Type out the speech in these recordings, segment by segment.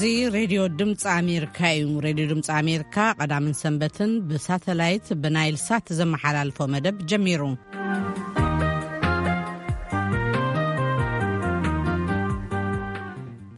እዚ ሬድዮ ድምፂ ኣሜሪካ እዩ። ሬድዮ ድምፂ ኣሜሪካ ቀዳምን ሰንበትን ብሳተላይት ብናይል ሳት ዘመሓላልፎ መደብ ጀሚሩ።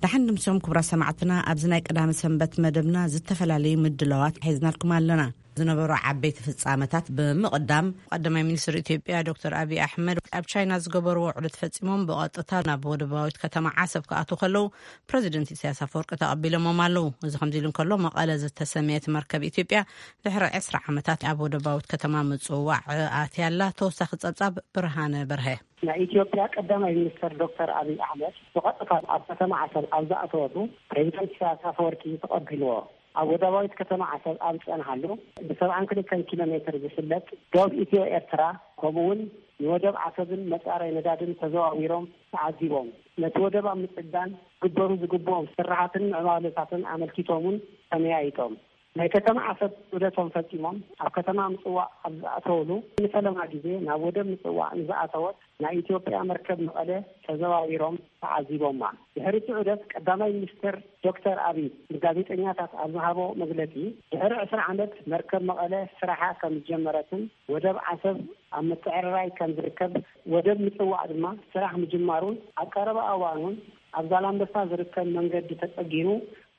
ደሓን ድምፅኦም ክቡራት ሰማዕትና፣ ኣብዚ ናይ ቀዳሚ ሰንበት መደብና ዝተፈላለዩ ምድላዋት ሒዝናልኩም ኣለና። ዝነበሩ ዓበይቲ ፍጻመታት ብምቕዳም፣ ቀዳማይ ሚኒስትር ኢትዮጵያ ዶክተር ኣብይ ኣሕመድ ኣብ ቻይና ዝገበርዎ ዑደት ፈጺሞም ብቐጥታ ናብ ወደባዊት ከተማ ዓሰብ ክኣትዉ ከለዉ፣ ፕረዚደንት ኢሳያስ ኣፈወርቂ ተቐቢሎሞም ኣለዉ። እዚ ከምዚ ኢሉ እንከሎ፣ መቐለ ዝተሰመየት መርከብ ኢትዮጵያ ድሕሪ ዕስራ ዓመታት ኣብ ወደባዊት ከተማ ምጽዋዕ ኣትያ ኣላ። ተወሳኺ ጸብጻብ ብርሃነ በርሀ። ናይ ኢትዮጵያ ቀዳማይ ሚኒስትር ዶክተር ኣብይ ኣሕመድ ብቐጥታ ኣብ ከተማ ዓሰብ ኣብ ዝኣተወሉ፣ ፕሬዚደንት ኢሳያስ ኣፈወርቂ ተቐቢልዎ። ኣብ ወደባዊት ከተማ ዓሰብ ኣብ ዝጸንሓሉ፣ ብሰብዓን ክልተን ኪሎ ሜትር ዝፍለጥ ዶብ ኢትዮ ኤርትራ፣ ከምኡ እውን ንወደብ ዓሰብን መጻረይ ነዳድን ተዘዋዊሮም ተዓዚቦም። ነቲ ወደብ ኣብ ምጽጋን ክግበሩ ዝግብኦም ስራሓትን ምዕባለታትን ኣመልኪቶም እውን ተመያይጦም። ናይ ከተማ ዓሰብ ዑደቶም ፈጺሞም ኣብ ከተማ ምጽዋዕ ኣብ ዝኣተውሉ፣ ንፈለማ ግዜ ናብ ወደብ ምጽዋዕ ንዝኣተወት ናይ ኢትዮጵያ መርከብ መቐለ ተዘዋዊሮም ተዓዚቦማ። ድሕሪ እቲ ዑደት ቀዳማይ ሚኒስትር ዶክተር ኣብይ ንጋዜጠኛታት ኣብ ዝሃቦ መግለጺ፣ ድሕሪ ዕስራ ዓመት መርከብ መቐለ ስራሓ ከም ዝጀመረትን ወደብ ዓሰብ ኣብ ምትዕርራይ ከም ዝርከብ፣ ወደብ ምጽዋዕ ድማ ስራሕ ምጅማሩን ኣብ ቀረባ እዋን እውን ኣብ ዛላምበሳ ዝርከብ መንገዲ ተጸጊኑ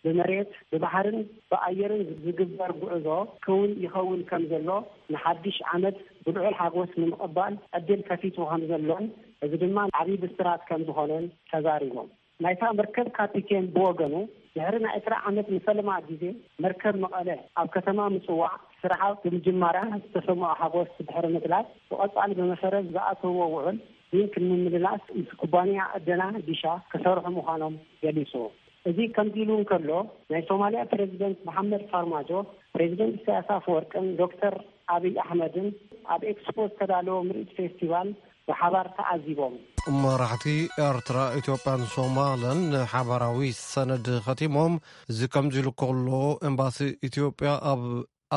ብመሬት፣ ብባሕርን ብኣየርን ዝግበር ጉዕዞ ክውን ይኸውን ከም ዘሎ፣ ንሓድሽ ዓመት ብልዑል ሓጎስ ንምቕባል ዕድል ከፊቱ ከም ዘሎን፣ እዚ ድማ ዓብዪ ብስራት ከም ዝኾነን ተዛሪቦም። ናይታ መርከብ ካፒቴን ብወገኑ፣ ድሕሪ ናይ ዕስራ ዓመት ንፈለማ ግዜ መርከብ መቐለ ኣብ ከተማ ምጽዋዕ ስርሓ ብምጅማራ ዝተሰምዖ ሓጎስ ድሕሪ ምግላጽ፣ ብቐጻሊ ብመሰረት ዝኣተውዎ ውዕል ሊንክ ንምምላስ ምስ ኩባንያ ዕደና ዲሻ ክሰርሑ ምዃኖም ገሊጹ። እዚ ከምዚ ኢሉ እንከሎ፣ ናይ ሶማልያ ፕሬዚደንት መሓመድ ፋርማጆ፣ ፕሬዚደንት ኢሳያስ ኣፈወርቅን ዶክተር ኣብይ ኣሕመድን ኣብ ኤክስፖ ዝተዳለወ ምርኢት ፌስቲቫል ብሓባር ተዓዚቦም። መራሕቲ ኤርትራ፣ ኢትዮጵያን ሶማልን ሓባራዊ ሰነድ ኸቲሞም። እዚ ከምዚ ኢሉ ከሎ፣ ኤምባሲ ኢትዮጵያ ኣብ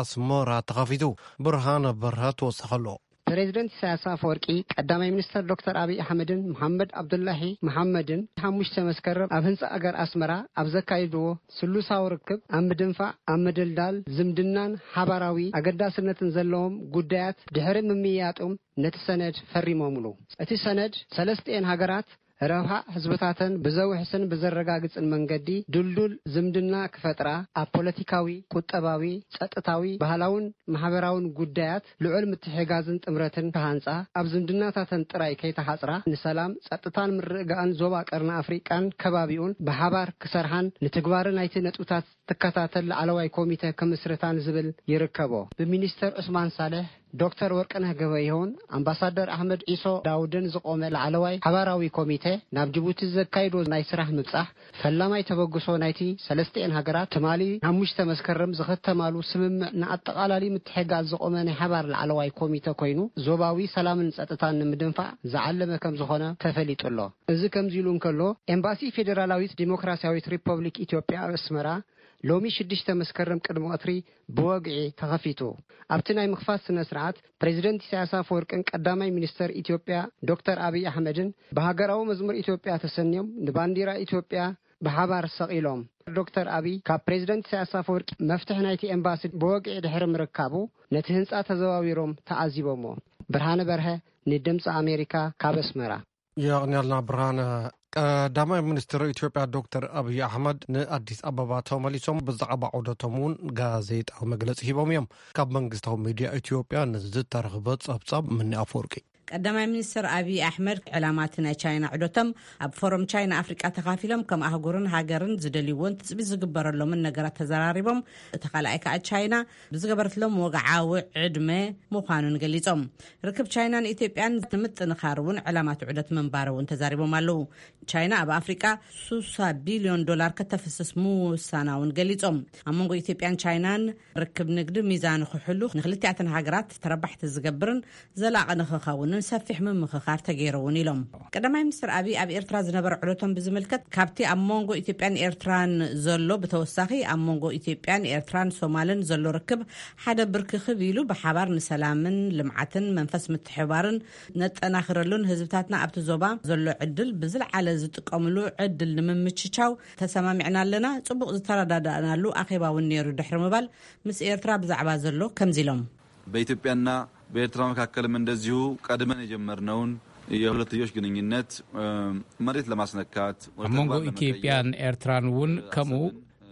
ኣስመራ ተኸፊቱ። ብርሃነ በርሀ ተወሰኸሎ። ፕሬዚደንት ኢሳያስ ኣፈወርቂ፣ ቀዳማይ ሚኒስተር ዶክተር ኣብይ ኣሕመድን መሓመድ ኣብዱላሂ መሓመድን ሓሙሽተ መስከረም ኣብ ህንጻ ኣገር ኣስመራ ኣብ ዘካይድዎ ስሉሳዊ ርክብ፣ ኣብ ምድንፋዕ፣ ኣብ ምድልዳል ዝምድናን ሓባራዊ ኣገዳስነትን ዘለዎም ጉዳያት ድሕሪ ምምይያጦም፣ ነቲ ሰነድ ፈሪሞምሉ። እቲ ሰነድ ሰለስቲኤን ሃገራት ረብሓ ህዝብታተን ብዘውሕስን ብዘረጋግጽን መንገዲ ድልዱል ዝምድና ክፈጥራ፣ ኣብ ፖለቲካዊ፣ ቁጠባዊ፣ ጸጥታዊ፣ ባህላውን ማሕበራውን ጉዳያት ልዑል ምትሕጋዝን ጥምረትን ክሃንጻ፣ ኣብ ዝምድናታተን ጥራይ ከይተሓጽራ፣ ንሰላም፣ ጸጥታን ምርግጋእን ዞባ ቀርኒ ኣፍሪቃን ከባቢኡን ብሓባር ክሰርሓን ንትግባረ ናይቲ ነጥብታት ትከታተል ላዕለዋይ ኮሚተ ክምስርታን ዝብል ይርከቦ። ብሚኒስተር ዑስማን ሳልሕ፣ ዶክተር ወርቅነህ ገበየሁን ኣምባሳደር ኣሕመድ ዒሶ ዳውድን ዝቖመ ላዕለዋይ ሓባራዊ ኮሚተ፣ ናብ ጅቡቲ ዘካይዶ ናይ ስራሕ ምብጻሕ፣ ፈላማይ ተበግሶ ናይቲ ሰለስቲኤን ሃገራት ትማሊ ሓሙሽተ መስከረም ዝኸተማሉ ስምምዕ ንኣጠቓላሊ ምትሕግጋዝ ዝቖመ ናይ ሓባር ላዕለዋይ ኮሚተ ኮይኑ፣ ዞባዊ ሰላምን ጸጥታን ንምድንፋዕ ዝዓለመ ከም ዝኾነ ተፈሊጡ ኣሎ። እዚ ከምዚ ኢሉ እንከሎ፣ ኤምባሲ ፌዴራላዊት ዲሞክራሲያዊት ሪፐብሊክ ኢትዮጵያ ኣብ ኣስመራ ሎሚ ሽዱሽተ መስከረም ቅድሚ ቀትሪ ብወግዒ ተኸፊቱ። ኣብቲ ናይ ምኽፋት ስነ ስርዓት፣ ፕሬዚደንት ኢሳያስ ኣፈወርቅን ቀዳማይ ሚኒስተር ኢትዮጵያ ዶክተር ኣብይ ኣሕመድን ብሃገራዊ መዝሙር ኢትዮጵያ ተሰንዮም ንባንዲራ ኢትዮጵያ ብሓባር ሰቒሎም። ዶክተር ኣብይ ካብ ፕሬዚደንት ኢሳያስ ኣፈወርቂ መፍትሒ ናይቲ ኤምባሲ ብወግዒ ድሕሪ ምርካቡ፣ ነቲ ህንጻ ተዘዋዊሮም ተዓዚቦሞ። ብርሃነ በርሀ፣ ንድምፂ ኣሜሪካ፣ ካብ ኣስመራ። የቕንያልና ብርሃነ። ቀዳማይ ሚኒስትር ኢትዮጵያ ዶክተር ኣብይ ኣሕመድ ንኣዲስ ኣበባ ተመሊሶም ብዛዕባ ዑደቶም እውን ጋዜጣዊ መግለጺ ሂቦም እዮም። ካብ መንግስታዊ ሚድያ ኢትዮጵያ ንዝተረኽበ ጸብጻብ ምኒ ኣፈወርቂ። ቀዳማይ ሚኒስትር ኣብይ ኣሕመድ፣ ዕላማ እቲ ናይ ቻይና ዑደቶም ኣብ ፎረም ቻይና ኣፍሪቃ ተኻፊሎም ከም ኣህጉርን ሃገርን ዝደልይዎን ትጽቢት ዝግበረሎምን ነገራት ተዘራሪቦም። እቲ ካልኣይ ከኣ ቻይና ብዝገበረትሎም ወግዓዊ ዕድመ ምዃኑን ገሊጾም። ርክብ ቻይናን ኢትዮጵያን ንምጥንኻር እውን ዕላማት ዑደት ምንባር እውን ተዛሪቦም ኣለዉ። ቻይና ኣብ ኣፍሪቃ ሱሳ ቢልዮን ዶላር ከተፍስስ ምውሳና እውን ገሊጾም። ኣብ መንጎ ኢትዮጵያን ቻይናን ርክብ ንግዲ ሚዛኑ ክሕሉ፣ ንክልቲኣተን ሃገራት ተረባሕቲ ዝገብርን ዘላቒ ንክኸውን ሰፊሕ ምምኽኻር ተገይሩ እውን ኢሎም። ቀዳማይ ሚኒስትር ኣቢይ ኣብ ኤርትራ ዝነበረ ዕለቶም ብዝምልከት፣ ካብቲ ኣብ መንጎ ኢትዮጵያን ኤርትራን ዘሎ ብተወሳኺ፣ ኣብ መንጎ ኢትዮጵያን ኤርትራን ሶማልን ዘሎ ርክብ ሓደ ብርክኽብ ኢሉ፣ ብሓባር ንሰላምን ልምዓትን መንፈስ ምትሕባርን ነጠናኽረሉን ህዝብታትና ኣብቲ ዞባ ዘሎ ዕድል ብዝለዓለ ዝጥቀምሉ ዕድል ንምምችቻው ተሰማሚዕና ኣለና። ጽቡቕ ዝተረዳዳእናሉ ኣኼባ እውን ነይሩ ድሕሪ ምባል፣ ምስ ኤርትራ ብዛዕባ ዘሎ ከምዚ ኢሎም። በኢትዮጵያና በኤርትራ መካከልም እንደዚሁ ቀድመን የጀመርነውን የሁለትዮሽ ግንኙነት መሬት ለማስነካት ኣብ መንጎ ኢትዮጵያን ኤርትራን እውን ከምኡ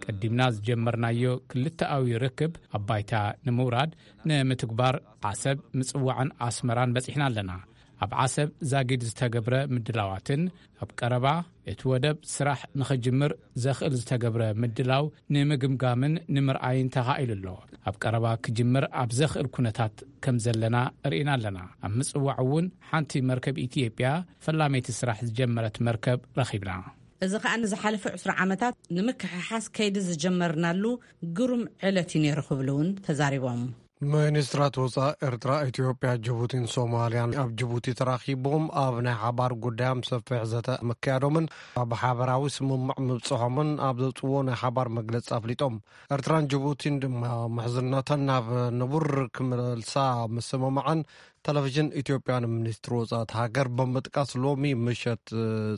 ቀዲምና ዝጀመርናዮ ክልተኣዊ ርክብ ኣብ ባይታ ንምውራድ ንምትግባር ዓሰብ፣ ምጽዋዕን ኣስመራን በጺሕና ኣለና። ኣብ ዓሰብ ዛጊድ ዝተገብረ ምድላዋትን ኣብ ቀረባ እቲ ወደብ ስራሕ ንኽጅምር ዘኽእል ዝተገብረ ምድላው ንምግምጋምን ንምርኣይን ተኻኢሉ ኣሎ። ኣብ ቀረባ ክጅምር ኣብ ዘኽእል ኩነታት ከም ዘለና ርኢና ኣለና። ኣብ ምጽዋዕ እውን ሓንቲ መርከብ ኢትዮጵያ ፈላመይቲ ስራሕ ዝጀመረት መርከብ ረኺብና። እዚ ከኣ ንዝሓለፈ ዕስራ ዓመታት ንምክሕሓስ ከይዲ ዝጀመርናሉ ግሩም ዕለት እዩ ነይሩ ክብሉ እውን ተዛሪቦም። ሚኒስትራት ወፃኢ ኤርትራ፣ ኢትዮጵያ፣ ጅቡቲን ሶማልያን ኣብ ጅቡቲ ተራኺቦም ኣብ ናይ ሓባር ጉዳዮም ሰፊሕ ዘተ ምክያዶምን ኣብ ሓበራዊ ስምምዕ ምብፅሖምን ኣብ ዘውፅዎ ናይ ሓባር መግለፂ ኣፍሊጦም። ኤርትራን ጅቡቲን ድማ ምሕዝነተን ናብ ንቡር ክመልሳ ምስምምዐን ቴሌቪዥን ኢትዮጵያ ንሚኒስትሪ ወፃኢ ሃገር ብምጥቃስ ሎሚ ምሸት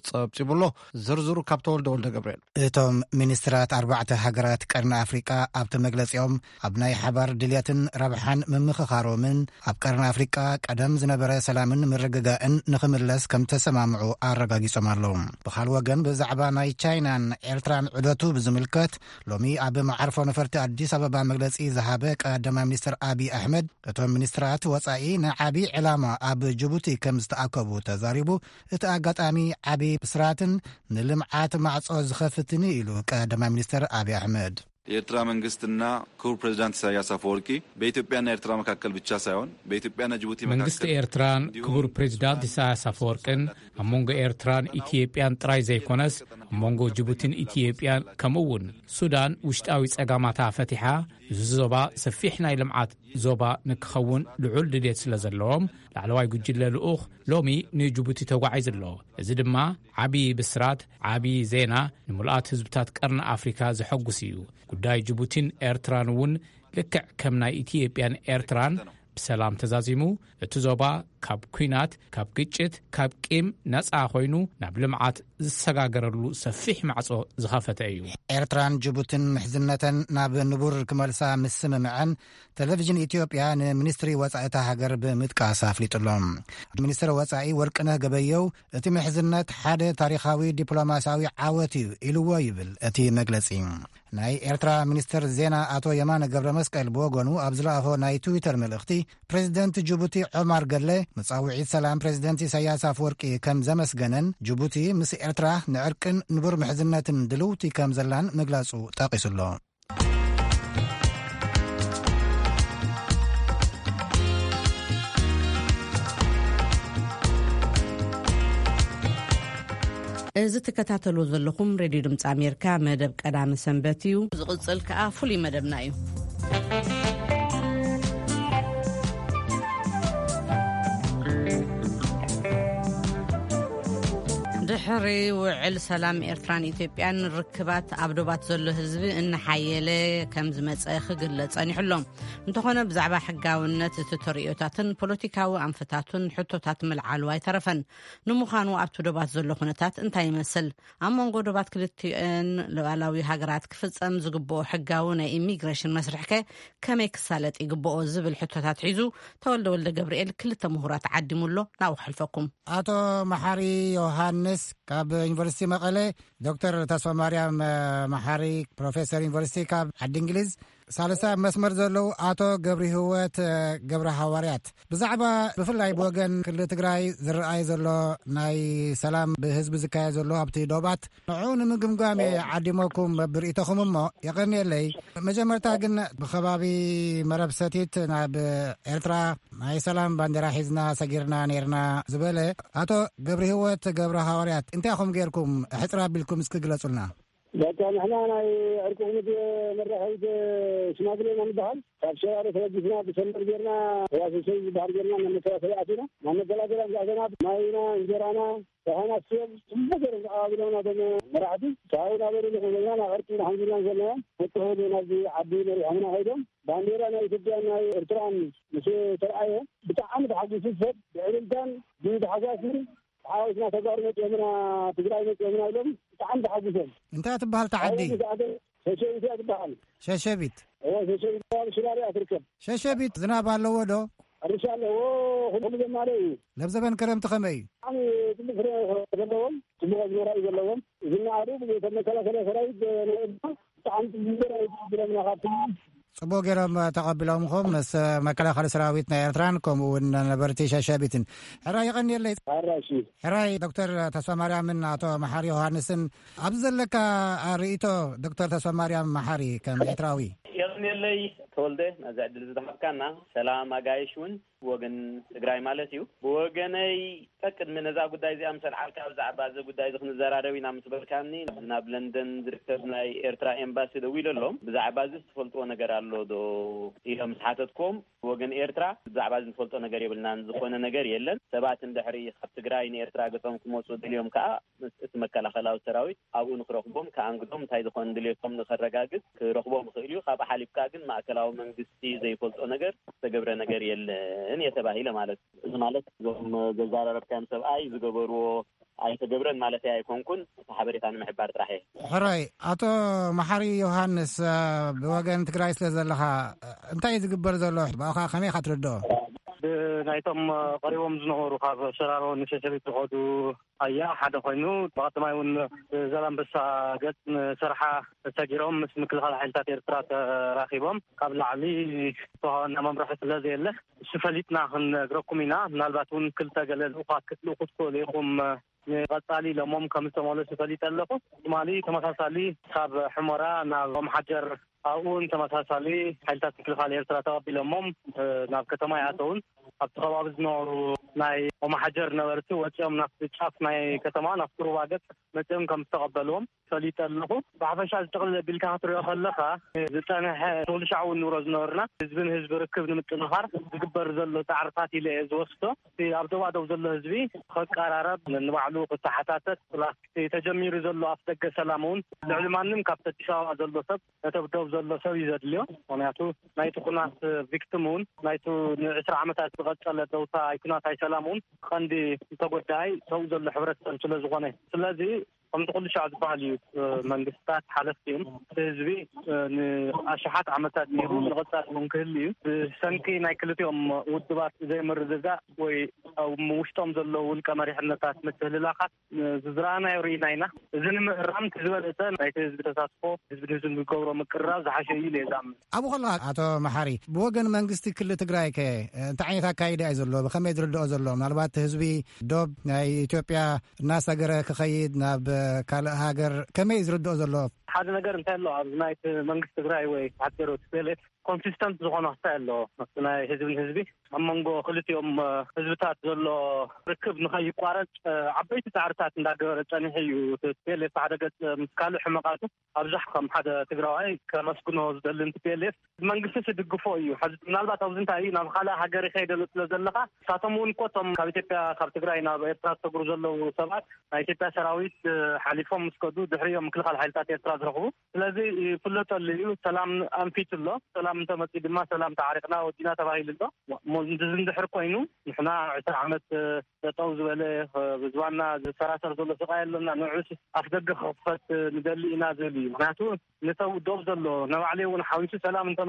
ፀብፂቡሎ። ዝርዝሩ ካብ ተወልደ ወልደ ገብርኤል። እቶም ሚኒስትራት ኣርባዕተ ሃገራት ቀርኒ ኣፍሪቃ ኣብቲ መግለጺኦም ኣብ ናይ ሓባር ድልየትን ረብሓን ምምኽኻሮምን ኣብ ቀርኒ ኣፍሪቃ ቀደም ዝነበረ ሰላምን ምርግጋእን ንኽምለስ ከም ተሰማምዑ ኣረጋጊጾም ኣለዉ። ብኻል ወገን ብዛዕባ ናይ ቻይናን ኤርትራን ዑደቱ ብዝምልከት ሎሚ ኣብ መዓርፎ ነፈርቲ ኣዲስ ኣበባ መግለጺ ዝሃበ ቀዳማይ ሚኒስትር ኣቢይ ኣሕመድ እቶም ሚኒስትራት ወጻኢ ንዓቢ ዕላማ ኣብ ጅቡቲ ከም ዝተኣከቡ ተዛሪቡ። እቲ ኣጋጣሚ ዓቢ ብስራትን ንልምዓት ማዕጾ ዝኸፍትን ኢሉ ቀዳማይ ሚኒስትር ኣቢይ ኣሕመድ። የኤርትራ መንግስትና ክቡር ፕሬዚዳንት ኢሳያስ አፈወርቂ በኢትዮጵያና ኤርትራ መካከል ብቻ ሳይሆን በኢትዮጵያና ጅቡቲ መንግስቲ ኤርትራን ክቡር ፕሬዚዳንት ኢሳያስ አፈወርቅን ኣብ መንጎ ኤርትራን ኢትዮጵያን ጥራይ ዘይኮነስ ኣብ መንጎ ጅቡቲን ኢትዮጵያን ከምኡ እውን ሱዳን ውሽጣዊ ጸጋማታ ፈቲሓ እዚ ዞባ ሰፊሕ ናይ ልምዓት ዞባ ንክኸውን ልዑል ድሌት ስለ ዘለዎም ላዕለዋይ ጉጅለ ልኡኽ ሎሚ ንጅቡቲ ተጓዒዙ ኣሎ። እዚ ድማ ዓቢ ብስራት፣ ዓቢ ዜና፣ ንምሉኣት ህዝብታት ቀርኒ ኣፍሪካ ዘሐጉስ እዩ። ጉዳይ ጅቡቲን ኤርትራን እውን ልክዕ ከም ናይ ኢትዮጵያን ኤርትራን ብሰላም ተዛዚሙ እቲ ዞባ ካብ ኲናት፣ ካብ ግጭት፣ ካብ ቂም ነጻ ኮይኑ ናብ ልምዓት ዝሰጋገረሉ ሰፊሕ ማዕጾ ዝኸፈተ እዩ። ኤርትራን ጅቡትን ምሕዝነተን ናብ ንቡር ክመልሳ ምስምምዐን ቴሌቪዥን ኢትዮጵያ ንሚኒስትሪ ወጻኢታ ሃገር ብምጥቃስ ኣፍሊጡሎ። ሚኒስትር ወጻኢ ወርቅነህ ገበየው እቲ ምሕዝነት ሓደ ታሪኻዊ ዲፕሎማሲያዊ ዓወት እዩ ኢልዎ ይብል እቲ መግለጺ። ናይ ኤርትራ ሚኒስትር ዜና ኣቶ የማነ ገብረ መስቀል ብወገኑ ኣብ ዝለኣኾ ናይ ትዊተር መልእኽቲ ፕሬዚደንት ጅቡቲ ዑማር ገለ መጻውዒት ሰላም ፕሬዚደንት ኢሳያስ ኣፈወርቂ ከም ዘመስገነን ጅቡቲ ምስ ኤርትራ ንዕርቅን ንቡር ምሕዝነትን ድልውቲ ከም ዘላን ምግላጹ ጠቒሱሎ። እዚ ትከታተሉ ዘለኹም ሬድዮ ድምፂ ኣሜሪካ መደብ ቀዳሚ ሰንበት እዩ። ዝቕፅል ከዓ ፍሉይ መደብና እዩ። ድሕሪ ውዕል ሰላም ኤርትራን ኢትዮጵያን ርክባት ኣብ ዶባት ዘሎ ህዝቢ እናሓየለ ከም ዝመፀ ክግለፅ ጸኒሑ ኣሎ። እንተኾነ ብዛዕባ ሕጋውነት እቲ ተርእዮታትን ፖለቲካዊ ኣንፈታቱን ሕቶታት ምልዓሉ ኣይተረፈን። ንምዃኑ ኣብቲ ዶባት ዘሎ ኩነታት እንታይ ይመስል? ኣብ መንጎ ዶባት ክልቲኤን ሉዓላዊ ሃገራት ክፍጸም ዝግብኦ ሕጋዊ ናይ ኢሚግሬሽን መስርሕከ ከመይ ክሳለጥ ይግብኦ ዝብል ሕቶታት ሒዙ ተወልደ ወልደ ገብርኤል ክልተ ምሁራት ዓዲሙ ኣሎ። ናብኡ ክሕልፈኩም። ኣቶ መሓሪ ዮሃንስ ካብ ዩኒቨርሲቲ መቐለ፣ ዶክተር ተስፋ ማርያም መሓሪ ፕሮፌሰር ዩኒቨርሲቲ ካብ ዓዲ እንግሊዝ፣ ሳልሳይ ኣብ መስመር ዘለዉ ኣቶ ገብሪ ህወት ገብረ ሃዋርያት ብዛዕባ ብፍላይ ብወገን ክልል ትግራይ ዝረኣይ ዘሎ ናይ ሰላም ብህዝቢ ዝካየድ ዘሎ ኣብቲ ዶባት ንዑ ንምግምጋም እየ ዓዲመኩም ብርእይቶኹም እሞ የቐንየለይ። መጀመርታ ግን ብኸባቢ መረብ ሰቲት ናብ ኤርትራ ናይ ሰላም ባንዴራ ሒዝና ሰጊርና ነይርና ዝበለ ኣቶ ገብሪ ህወት ገብረ ሃዋርያት እንታይ ኹም ጌርኩም ሕፅር ኣቢልኩም እስኪ ግለጹልና። በቃ ንሕና ናይ ዕርቂ ቁምት መራኸቢት ሽማግሌ ኢና ንበሃል። ካብ ሸራሮ ተበጊስና ብሰንበር ጌርና ተዋሰሰይ ዝበሃል ጌርና ናብ መተዋሰቢ ኣቲና። ኣብ መገላገላ ዝኣተና ማይና፣ እንጀራና፣ ደሓና ስዮም ጽቡቕ ገይሮም ተቐባቢሎም ናቶም መራሕቲ። ካብኡ ናበሉ ንኽብለና ናብ ዕርቂ ንሓንጊልና ዘለና። በቲ ኸይዱ ናብዚ ዓዲ መሪሖምና ኸይዶም። ባንዴራ ናይ ኢትዮጵያን ናይ ኤርትራን ምስ ተረኣየ ብጣዕሚ ተሓጒሱ ሰብ ብዕልልታን ብታሕጓስን፣ "ሓወስና ተጋሩ መጺኦምና፣ ትግራይ መጺኦምና" ኢሎም ብጣዕሚ ተሓጒሶም። እንታይ ትበሃል እታ ዓዲ? ኣብኡ ምስ ኣተና ሸሸቢት እያ ትበሃል። ሸሸቢት? እወ፣ ሸሸቢት ኣብ ሽራሮ እያ ትርከብ። ሸሸቢት ዝናብ ኣለዎ ዶ? ሕርሻ ኣለዎ፣ ኩሉ ዘማልእ እዩ። ለብ ዘበን ክረምቲ ከመይ እዩ? ብጣዕሚ ጽቡቕ ፍረ ዘለዎም፣ ጽቡቕ ኣዝመራ እዩ ዘለዎም። ዝነኣዱ ብዘይተመከላኸለ ሰራዊት ናይ ኤርትራ ብጣዕሚ ጽቡቕ ዘርኢ እዩ ብለምና ካብቲ ጽቡቕ ገይሮም ተቐቢሎምኹም ምስ መከላኸሊ ሰራዊት ናይ ኤርትራን ከምኡ እውን ነበርቲ ሸሸቢትን። ሕራይ የቐንየለይ። ሕራይ፣ እሺ። ሕራይ ዶክተር ተስፋማርያምን ኣቶ መሓሪ ዮሃንስን ኣብዚ ዘለካ ርእይቶ ዶክተር ተስፋማርያም መሓሪ ከም ኤርትራዊ። የቐንየለይ ተወልደ፣ ነዚ ዕድል ዝተሃብካና። ሰላም ኣጋይሽ እውን ብወገን ትግራይ ማለት እዩ። ብወገነይ፣ ቅድሚ ነዛ ጉዳይ እዚኣ ምስ ኣልዓልካ፣ ብዛዕባ እዚ ጉዳይ እዚ ክንዘራረብ ኢና ምስ በልካኒ፣ ኣብዚ ናብ ለንደን ዝርከብ ናይ ኤርትራ ኤምባሲ ደዊለ ኣሎም። ብዛዕባ እዚ ትፈልጥዎ ነገር ኣሎ ዶ ኢለ ምስ ሓተትኩም፣ ብወገን ኤርትራ ብዛዕባ እዚ ንፈልጦ ነገር የብልናን፣ ዝኾነ ነገር የለን። ሰባት እንድሕሪ ካብ ትግራይ ንኤርትራ ገጾም ክመጹ ደልዮም ከኣ፣ ምስ እቲ መከላኸላዊ ሰራዊት ኣብኡ ንክረኽቦም፣ ከኣንግዶም፣ እንታይ ዝኾነ ድልየቶም ንኸረጋግጽ ክረኽቦም ይኽእል እዩ። ካብኡ ሓሊፍካ ግን ማእከላዊ መንግስቲ ዘይፈልጦ ነገር ዝተገብረ ነገር የለን እየ ተባሂለ ማለት እዩ። እዚ ማለት እዞም ዘዘራረብካዮም ሰብኣይ ዝገበርዎ ኣይተገብረን ማለት ኣይኮንኩን፣ እቲ ሓበሬታ ንምሕባር ጥራሕ እየ። ሕራይ፣ ኣቶ መሓሪ ዮሃንስ፣ እ፣ ብወገን ትግራይ ስለ ዘለኻ፣ እ፣ እንታይ እዩ ዝግበር ዘሎ? ብኣኻ ከመይ ኢኻ ትርድኦ? ብናይቶም፣ እ፣ ቀሪቦም ዝነበሩ ካብ ሸራሮ ንሸሸቢት ዝኸዱ ኣያ ሓደ ኮይኑ፣ ብቐዳማይ እውን ብዛላምበሳ ገጽ ንሰርሓ ተሰጊሮም ምስ ምክልኻል ሓይልታት ኤርትራ ተራኺቦም፣ ካብ ላዕሊ ዝተዋሃበና መምርሒ ስለ ዘየለ፣ እሱ ፈሊጥና ክንነግረኩም ኢና። ምናልባት እውን ክልተ ገለ ልኡኻት ክትልእኹ ትኽእሉ ኢኹም፣ ንቐጻሊ ኢሎሞም ከም ዝተመለሱ ፈሊጠ ኣለኹ። ትማሊ ተመሳሳሊ ካብ ሑመራ ናብ ኦምሓጀር፣ ኣብኡ እውን ተመሳሳሊ ሓይልታት ምክልኻል ኤርትራ ተቐቢሎሞም፣ እ፣ ናብ ከተማ ይኣተውን። ኣብቲ ከባቢ ዝነበሩ ናይ ኦምሓጀር ነበርቲ ወጺኦም ናብቲ ጫፍ ናይ ከተማ፣ ናብቲ ሩባ ገጽ መጺኦም ከም ዝተቐበልዎም ፈሊጠ ኣለኹ። ብሓፈሻ ዝጥቕልል ኣቢልካ ክትሪኦ ከለኻ፣ ዝጸንሐ ትውልሻዕ እውን ንብሎ ዝነበርና ህዝቢ ንህዝቢ ርክብ ንምጥንኻር ዝግበር ዘሎ ጻዕርታት ኢለ እየ ዝወስዶ። እቲ ኣብ ዶባዶብ ዘሎ ህዝቢ ክቀራረብ፣ ንባዕሉ ክተሓታተት፣ ፕላስ እቲ ተጀሚሩ ዘሎ ኣፍ ደገ ሰላም እውን ልዕሊ ማንም ካብቲ ኣዲስ ኣበባ ዘሎ ሰብ፣ ነቲ ኣብ ዶብ ዘሎ ሰብ እዩ ዘድልዮ። ምኽንያቱ ናይቲ ኩናት ቪክቲም እውን፣ ናይቲ ንዕስራ ዓመታት ዝቐጸለ ደውታ ኣይ ኩናት ኣይ ሰላም እውን ቀንዲ ተጎዳኣይ ሰብኡ ዘሎ ሕብረተሰብ ስለ ዝኾነ። ስለዚ ከምቲ ኩሉ ሻዕ ዝበሃል እዩ፣ እ፣ መንግስታት ሓለፍቲ እዮም። እቲ ህዝቢ፣ እ፣ ንኣሽሓት ዓመታት ነይሩ፣ ንቐጻሊ እውን ክህሉ እዩ። ብሰንኪ ናይ ክልቲኦም ውድባት ዘይምርድዳእ ወይ ኣብ ውሽጦም ዘለዉ ውልቀ መሪሕነታት ምትህልላኻት፣ እ፣ ዝዝረኣናዮ ርኢና ኢና። እዚ ንምእራም እቲ ዝበለጸ ናይቲ ህዝቢ ተሳትፎ፣ ህዝቢ ንህዝቢ ዝገብሮ ምቅርራብ ዝሓሸ እዩ ኢለ እየ ዝኣምን። ኣብኡ ከለኻ ኣቶ መሓሪ፣ ብወገን መንግስቲ ክልል ትግራይ ከ እንታይ ዓይነት ኣካይዳ እዩ ዘሎ? ብኸመይ ዝርድኦ ዘሎ? ምናልባት ህዝቢ ዶብ ናይ ኢትዮጵያ እናሰገረ ክኸይድ ናብ ካልእ ሃገር ከመይ እዩ ዝርድኦ ዘሎ? ሓደ ነገር እንታይ ኣሎ፣ ኣብዚ ናይ መንግስቲ ትግራይ ወይ ሓፂሩ ቲ ፒ ኤል ኤፍ ኮንሲስተንት ዝኾነ ክታይ ኣሎ። ኣብቲ ናይ ህዝቢ ንህዝቢ ኣብ መንጎ ክልቲኦም፣ እ፣ ህዝብታት ዘሎ ርክብ ንኸይቋረፅ፣ እ፣ ዓበይቲ ፃዕርታት እንዳገበረ ፀኒሑ እዩ። እቲ ቲ ፒ ኤል ኤፍ ሓደ ገፅ ምስ ካልእ ሕመቃቱ ኣብዛሕ ከም ሓደ ትግራዋይ ከመስግኖ ዝደሊ ን ቲ ፒ ኤል ኤፍ መንግስቲ ዝድግፎ እዩ። ሕዚ ምናልባት ኣብዚ እንታይ እዩ፣ ናብ ካልእ ሃገር ይኸይድ ኣሎ ስለ ዘለኻ፣ ንሳቶም እውን እኮ እቶም ካብ ኢትዮጵያ፣ ካብ ትግራይ ናብ ኤርትራ ዝሰግሩ ዘለዉ ሰባት ናይ ኢትዮጵያ ሰራዊት፣ እ፣ ሓሊፎም ምስ ከዱ ድሕሪኦም ምክልኻል ሓይልታት ኤርትራ ዝረኽቡ። ስለዚ ይፍለጠሉ እዩ፣ ሰላም ኣንፊቱ ኣሎ። ሰላም እንተመፂኡ ድማ ሰላም ተዓሪቕና ወዲና ተባሂሉ ኣሎ። እሞ እዚ እንድሕር ኮይኑ ንሕና ዕስራ ዓመት፣ እ፣ ጠጠው ዝበለ፣ እ፣ ብዝባና ዝሰራሰር ዘሎ ስቃይ ኣለና። ንዑስ ኣፍ ደገ ክኽፈት፣ እ፣ ንደሊ ኢና ዝብል እዩ። ምክንያቱ ንሰብ ዶብ ዘሎ ንባዕለይ እውን ሓዊሱ ሰላም እንተመፅኡስ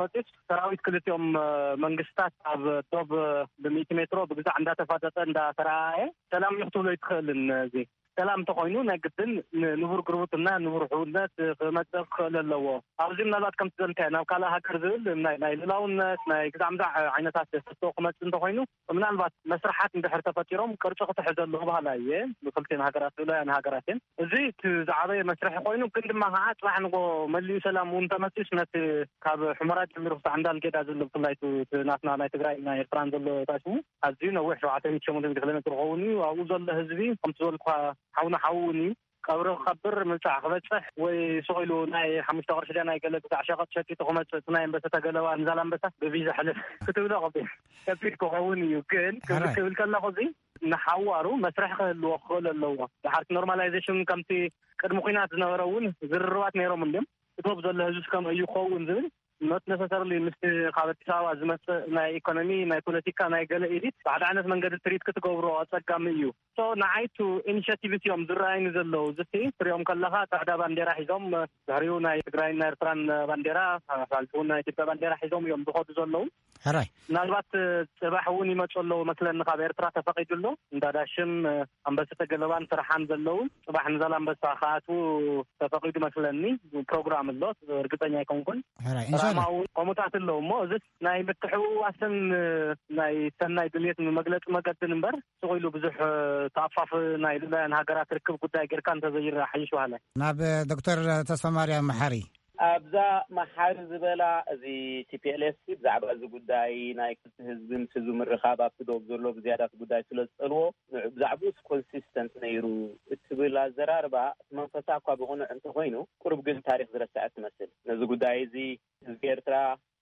ሰራዊት ክልቲኦም፣ እ፣ መንግስታት ኣብ ዶብ፣ እ፣ ብሚእቲ ሜትሮ ብግዛዕ እንዳተፋጠጠ እንዳተረኣየ ሰላም ንክትብሎ ኣይትኽእልን። እዚ ሰላም እንተኾይኑ ናይ ግድን ን-፣ ንቡር ጉርብትና፣ ንቡር ሕውነት፣ እ፣ ክመፅእ ክኽእል ኣለዎ። ኣብዚ ምናልባት ከምቲ ዘልካዮ ናብ ካልእ ሃገር ዝብል ናይ፣ ናይ ልላውነት፣ ናይ ግዛዕ ምዛዕ ዓይነታት ሕቶ ክመፅእ እንተኾይኑ ምናልባት መስርሓት እንድሕር ተፈጢሮም ቅርፂ ክተሐዘሉ ክበሃል እየ። ብክልቲኤን ሃገራት ልኡላውያን ሃገራት እየን። እዚ እቲ ዝዓበየ መስርሒ ኮይኑ፣ ግን ድማ ከዓ ፅባሕ ንጎ መሊኡ ሰላም እውን ተመፂኡስ ነቲ ካብ ሑመራ ጀሚሩ ክሳዕ እንዳልጌዳ ዘሎ ብፍላይ እቲ ናትና ናይ ትግራይ ናይ ኤርትራን ዘሎ ታሽሙ ኣዝዩ ነዊሕ ሸውዓተ ሚእቲ ሸሞንተ ሚእቲ ኪሎ ሜትር ክኸውን እዩ። ኣብኡ ዘሎ ህዝቢ ከምቲ ዝበልኩኻ ሓውና ሓው እውን እዩ። ቀብሪ ክቐብር ምብጻሕ ክበጽሕ ወይ ስቕ ኢሉ ናይ ሓሙሽተ ቅርሺ ድያ ናይ ገለ ግዛዕ ሸቐጥ ሸቂጡ ክመጽእ፣ እቲ ናይ ኣንበሳ ተገለባ ንዛላንበሳ ብቪዛ ሕልፍ ክትብሎ ከቢድ፣ ከቢድ ክኸውን እዩ። ግን ክብል ሕራይ። ክብል ከለኹ፣ እዚ ንሓዋሩ መስርሕ ክህልዎ ክኽእል ኣለዎ። ድሓርቲ ኖርማላይዜሽን ከምቲ ቅድሚ ኲናት ዝነበረ እውን ዝርርባት ነይሮም እንድዮም። እቲ ዶብ ዘሎ ህዝቢ ከም እዩ ክኸውን ዝብል፣ ኖት ነሰሰርሊ ምስቲ ካብ ኣዲስ ኣበባ ዝመጽእ ናይ ኢኮኖሚ፣ ናይ ፖለቲካ፣ ናይ ገለ ኤሊት ብሓደ ዓይነት መንገዲ ትሪት ክትገብሮ ኣጸጋሚ እዩ። ሶ ንዓይቱ ኢኒሽቲቭስ እዮም ዝረኣይኒ ዘለዉ። ዝቲ ትሪኦም ከለኻ ጻዕዳ ባንዴራ ሒዞም፣ ድሕሪኡ ናይ ትግራይን ናይ ኤርትራን ባንዴራ፣ ሓልፉ ናይ ኢትዮጵያ ባንዴራ ሒዞም እዮም ዝኸዱ ዘለዉ። ሕራይ። ምናልባት ጽባሕ እውን ይመጹ ኣለዉ መስለኒ፣ ካብ ኤርትራ ተፈቒዱ ኣሎ። እንዳ ዳሽን፣ ኣንበሳ ተገለባን ስራሓን ዘለዉ ጽባሕ ንዛላንበሳ ክኣትዉ ተፈቒዱ መስለኒ። ፕሮግራም ኣሎ፣ እርግጸኛ ኣይኮንኩን። ሕራይ፣ ኢንሻላህ። ሰላማዊ ከምኡታት ኣለዉ እሞ፣ እዚ ናይ ምትሕውዋስን ናይ ሰናይ ድልየት መግለጺ መገድን እምበር፣ ስቕ ኢሉ ብዙሕ ተኣፋፍ ናይ ልኡላውያን ሃገራት ርክብ ጉዳይ ጌርካ እንተዘይረኣ ሓይሽ በሃላይ። ናብ ዶክተር ተስፋ ማርያም መሓሪ። ኣብዛ መሓሪ ዝበላ፣ እዚ ቲ ፒ ኤል ኤፍ ሲ ብዛዕባ እዚ ጉዳይ ናይ ክልተ ህዝቢ ምስ ህዝቢ ምርኻብ ኣብቲ ዶብ ዘሎ ብዝያዳ እቲ ጉዳይ ስለ ዝጸልዎ፣ ንዕ-፣ ብዛዕባኡስ ኮንሲስተንት ነይሩ እትብል ኣዘራርባ፣ እቲ መንፈሳ እኳ ብቕኑዕ እንተኾይኑ፣ ቁሩብ ግን ታሪኽ ዝረስዐት ትመስል። ነዚ ጉዳይ እዚ ህዝቢ ኤርትራ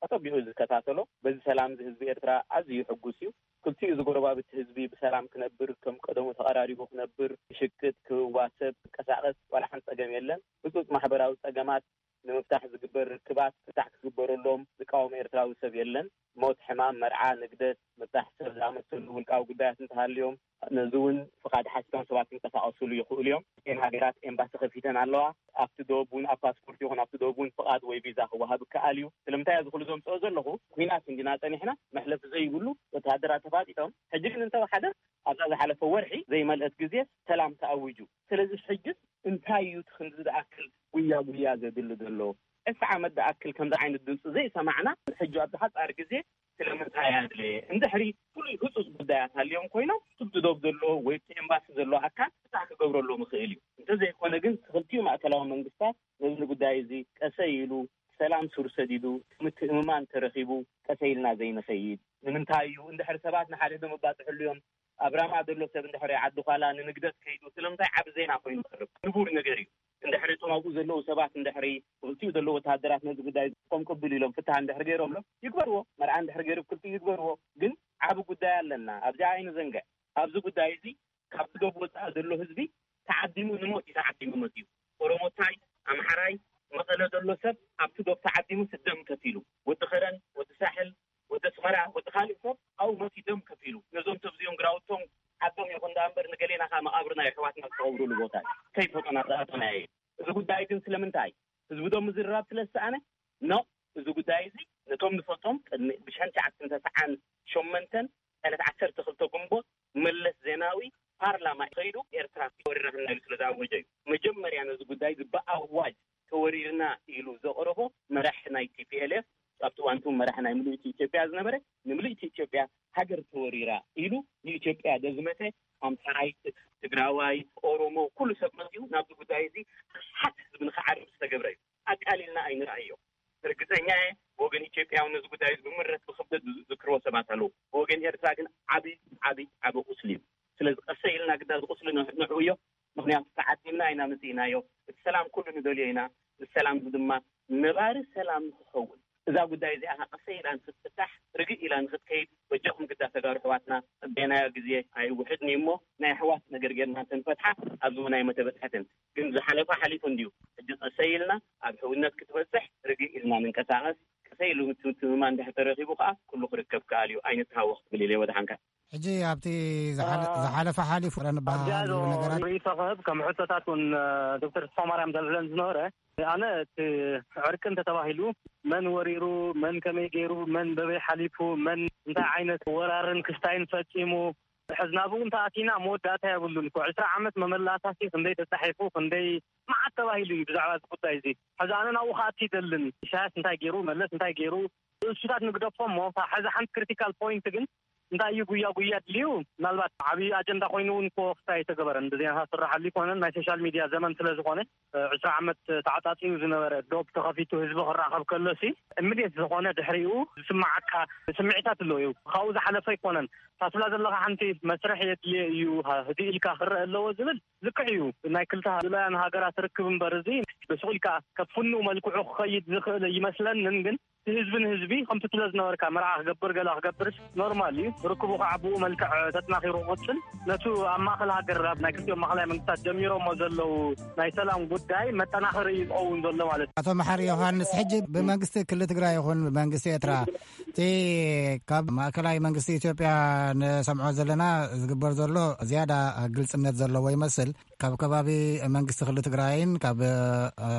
ኣጸቢቑ እዩ ዝከታተሎ። በዚ ሰላም እዚ ህዝቢ ኤርትራ ኣዝዩ ሕጉስ እዩ። ክልቲኡ እዚ ጎረባብቲ ህዝቢ ብሰላም ክነብር፣ ከም ቀደሙ ተቐራሪቡ ክነብር፣ ክሽቅጥ፣ ክዋሰብ፣ ክንቀሳቐስ ዋላ ሓንቲ ጸገም የለን። ህጹጽ ማሕበራዊ ጸገማት ንምፍታሕ ዝግበር ርክባት ፍታሕ ክግበረሎም ዝቃወም ኤርትራዊ ሰብ የለን። ሞት፣ ሕማም፣ መርዓ፣ ንግደት፣ ምብጻሕ ሰብ ዝኣመሰሉ ውልቃዊ ጉዳያት እንተሃልዮም፣ ነዚ እውን ፍቓድ ሓቲቶም ሰባት ክንቀሳቐሱሉ ይኽእሉ እዮም። እተን ሃገራት ኤምባሲ ከፊተን ኣለዋ። ኣብቲ ዶብ እውን፣ ኣብ ፓስፖርት ይኹን ኣብቲ ዶብ እውን ፍቓድ ወይ ቪዛ ክወሃብ ይከኣል እዩ። ስለምንታይ እዚ ኩሉ ዘምጽኦ ዘለኹ፣ ኲናት እንዲና ጸኒሕና፣ መሕለፊ ዘይብሉ፣ ወተሃደራት ተፋጢጦም። ሕጂ ግን እንተወሓደ፣ ኣብዛ ዝሓለፈ ወርሒ ዘይመልአት ግዜ ሰላም ተኣዊጁ። ስለዚ ሕጂ እንታይ እዩ እቲ ክንዲ ዝኣክል ጉያ ጉያ ዘድሊ ዘሎ? ዕስራ ዓመት ዝኣክል ከምዚ ዓይነት ድምፂ ዘይሰማዕና፣ ሕጂ ኣብዚ ሓፃር ግዜ ስለምንታይ ኣድለየ? እንድሕሪ ፍሉይ ህፁፅ ጉዳያት ሃልዮም ኮይኖም፣ እቲ ዶብ ዘሎ ወይ እቲ ኤምባሲ ዘሎ ኣካል ፍታሕ ክገብረሎም ይኽእል እዩ። እንተዘይኮነ ግን፣ እቲ ክልቲኡ ማእከላዊ መንግስታት ነዚ ጉዳይ እዚ ቀሰይ ኢሉ፣ ሰላም ሱር ሰዲዱ፣ ምትእምማን ተረኺቡ፣ ቀሰይ ኢልና ዘይንኸይድ ንምንታይ እዩ? እንድሕሪ ሰባት ንሓድሕዶም ይባፅሑ ኣለዮም፣ ኣብ ራማ ዘሎ ሰብ እንድሕሪ ዓዲ ዃላ ንንግደት ከይዱ፣ ስለምንታይ ዓቢ ዜና ኮይኑ ይቐርብ? ንቡር ነገር እዩ። እንድሕሪ እቶም ኣብኡ ዘለዉ ሰባት፣ እንድሕሪ ብክልቲኡ ዘለዉ ወተሃደራት ነዚ ጉዳይ ከም ቅቡል ኢሎም ፍታሕ እንድሕሪ ገይሮምሎም፣ ይግበርዎ። መርዓ እንድሕሪ ገይሩ ብክልቲኡ ይግበርዎ። ግን ዓቢ ጉዳይ ኣለና። ኣብዚኣ ኣይንዘንግዕ። ኣብዚ ጉዳይ እዚ ካብቲ ዶብ ወጻኢ ዘሎ ህዝቢ ተዓዲሙ ንሞት እዩ ተዓዲሙ መጺኡ። ኦሮሞታይ፣ ኣምሓራይ፣ መቐለ ዘሎ ሰብ ኣብቲ ዶብ ተዓዲሙስ ደም ከፊሉ። ወዲ ከረን፣ ወዲ ሳሕል፣ ወዲ ኣስመራ፣ ወዲ ካልእ ሰብ ኣብኡ መጺኡ ደም ከፊሉ። ነዞም ሰብ እዚኦም ግራውቶም ዓዶም ይኹን ደኣ እምበር፣ ንገሌና ከኣ መቓብርና የሕዋትና ዝተቐብሩሉ ቦታ እዩ። ከይፈጦና ዝኣተናዮ እዩ። እዚ ጉዳይ ግን ስለምንታይ? ህዝቢ ዶ ምዝርራብ ስለ ዝሰኣነ? ኖ፣ እዚ ጉዳይ እዚ ነቶም ንፈልጦም ቅድሚ ብሽሕን ትሽዓተ ሚእትን ተስዓን ሸሞንተን ዕለት ዓሰርተ ክልተ ግንቦት መለስ ዜናዊ ፓርላማ ከይዱ ኤርትራ ወሪራትና ኢሉ ስለ ዝኣወጀ እዩ። መጀመርያ ነዚ ጉዳይ እዚ ብኣዋጅ ተወሪርና ኢሉ ዘቕረቦ መራሒ ናይ ቲ ፒ ኤል ኤፍ፣ ኣብቲ እዋን እቲ መራሒ ናይ ምልእቲ ኢትዮጵያ ዝነበረ፣ ንምልእቲ ኢትዮጵያ ሃገር ተወሪራ ኢሉ ንኢትዮጵያ ዘዝመተ ኣምሓራይ፣ ትግራዋይ፣ ኦሮሞ፣ ኩሉ ሰብ መፂኡ ናብዚ ጉዳይ እዚ ሓት ህዝቢ ንኽዓርብ ዝተገብረ እዩ። ኣቃሊልና ኣይንርኣዮ። ርግፀኛ እየ፣ ብወገን ኢትዮጵያ እውን ነዚ ጉዳይ እዚ ብምረት ብክብደት ዝዝክርዎ ሰባት ኣለዉ። ብወገን ኤርትራ ግን ዓቢ፣ ዓቢ፣ ዓቢ ቁስሊ እዩ። ስለዚ ቀሰይ ኢልና ግዳ እዚ ቁስሊ ንዕ-፣ ንዕብዮ። ምኽንያቱ ተዓዲምና ኢና መፂእናዮ። እቲ ሰላም ኩሉ ንደልዮ ኢና። እዚ ሰላም እዚ ድማ ነባሪ ሰላም ንክኸውን፣ እዛ ጉዳይ እዚኣ ኸዓ ቀሰይ ኢላ ንክትፍታሕ፣ ርግእ ኢላ ንክትከይድ፣ በጃኹም ግዳ ተጋሩ ኣሕዋትና፣ ጸበናዮ ግዜ ኣይውሕድን እዩ እሞ፣ ናይ ኣሕዋት ነገር ጌርና እንተንፈትሓ፣ ኣብዚ እውን ኣይመተበጽሐትን። ግን ዝሓለፈ ሓሊፉ እንድዩ። ሕጂ ቀሰይ ኢልና ኣብ ሕውነት ክትበጽሕ ርግእ ኢልና ንንቀሳቐስ። ቀሰይ ኢሉ ምትምትምማን እንድሕር ተረኺቡ ኸዓ፣ ኩሉ ክርከብ ከኣል እዩ። ኣይንተሃወኽ ክብል ኢለ ወድሓንካ። ሕጂ ኣብቲ ዝሓለ-፣ አ-፣ ዝሓለፈ ሓሊፉ ንበሃሃል ኣብዚኣ ዘሎ ነገራት ርእይቶ ክህብ፣ ከም ሕቶታት እውን፣ እ፣ ዶክተር ተስፋማርያም ዘልዕለን ዝነበረ፣ ኣነ እቲ ዕርቂ እንተተባሂሉ መን ወሪሩ፣ መን ከመይ ገይሩ፣ መን በበይ ሓሊፉ፣ መን እንታይ ዓይነት ወራርን ክስታይን ፈጺሙ፣ ሕዚ ናብኡ እንተኣቲና መወዳእታ የብሉን እኮ። ዕስራ ዓመት መመላሳሲ ክንደይ ተጻሒፉ፣ ክንደይ መዓት ተባሂሉ እዩ ብዛዕባ እዚ ጉዳይ እዚ። ሕዚ ኣነ ናብኡ ክኣቲ ይደልን። ኢሳያስ እንታይ ገይሩ፣ መለስ እንታይ ገይሩ፣ እሱታት ንግደፎ እሞ፣ እታ ሕዚ ሓንቲ ክሪቲካል ፖይንት ግን እንታይ እዩ ጉያ ጉያ ድልዩ? ምናልባት ዓብዪ ኣጀንዳ ኮይኑ እውን እኮ ክስታይ ኣይተገበረን። ብዜናታት ዝስራሓሉ ኣይኮነን። ናይ ሶሻል ሚድያ ዘመን ስለ ዝኾነ፣ እ፣ ዕስራ ዓመት ተዓጻጺዩ ዝነበረ ዶብ ተኸፊቱ ህዝቢ ክራኸብ ከሎሲ፣ እምዴት ዝኾነ ድሕሪኡ ዝስማዓካ ስምዒታት ኣለዉ እዩ። ካብኡ ዝሓለፈ ኣይኮነን። ታስላ ዘለኻ ሓንቲ መስርሕ የድልየ እዩ፣ ህድእ ኢልካ ክረአ ኣለዎ ዝብል ልክዕ እዩ። ናይ ክልተ ልኡላውያን ሃገራት ርክብ እምበር፣ እዚ ብስቕ ኢልካ ከፍኑ መልክዑ ክኸይድ ዝኽእል ይመስለንን፣ ግን ህዝቢ ንህዝቢ ከምቲ ትለ ዝነበርካ መርዓ ክገብር ገለ ክገብር ኖርማል እዩ። ርክቡ ከዓ ብኡ መልክዕ ተጠናኺሩ ክቕፅል፣ ነቱ ኣብ ማእኸል ሃገር ኣብ ናይ ክልቲኦም ማእኸላይ መንግስታት ጀሚሮሞ ዘለዉ ናይ ሰላም ጉዳይ መጠናኸሪ እዩ ዝኸውን ዘሎ ማለት እዩ። ኣቶ መሓሪ ዮሃንስ፣ ሕጂ ብመንግስቲ ክልል ትግራይ ይኹን ብመንግስቲ ኤርትራ፣ እቲ ካብ ማእከላይ መንግስቲ ኢትዮጵያ ንሰምዖ ዘለና ዝግበር ዘሎ ዝያዳ ግልጽነት ዘለዎ ይመስል። ካብ ከባቢ መንግስቲ ክልል ትግራይን ካብ፣ እ፣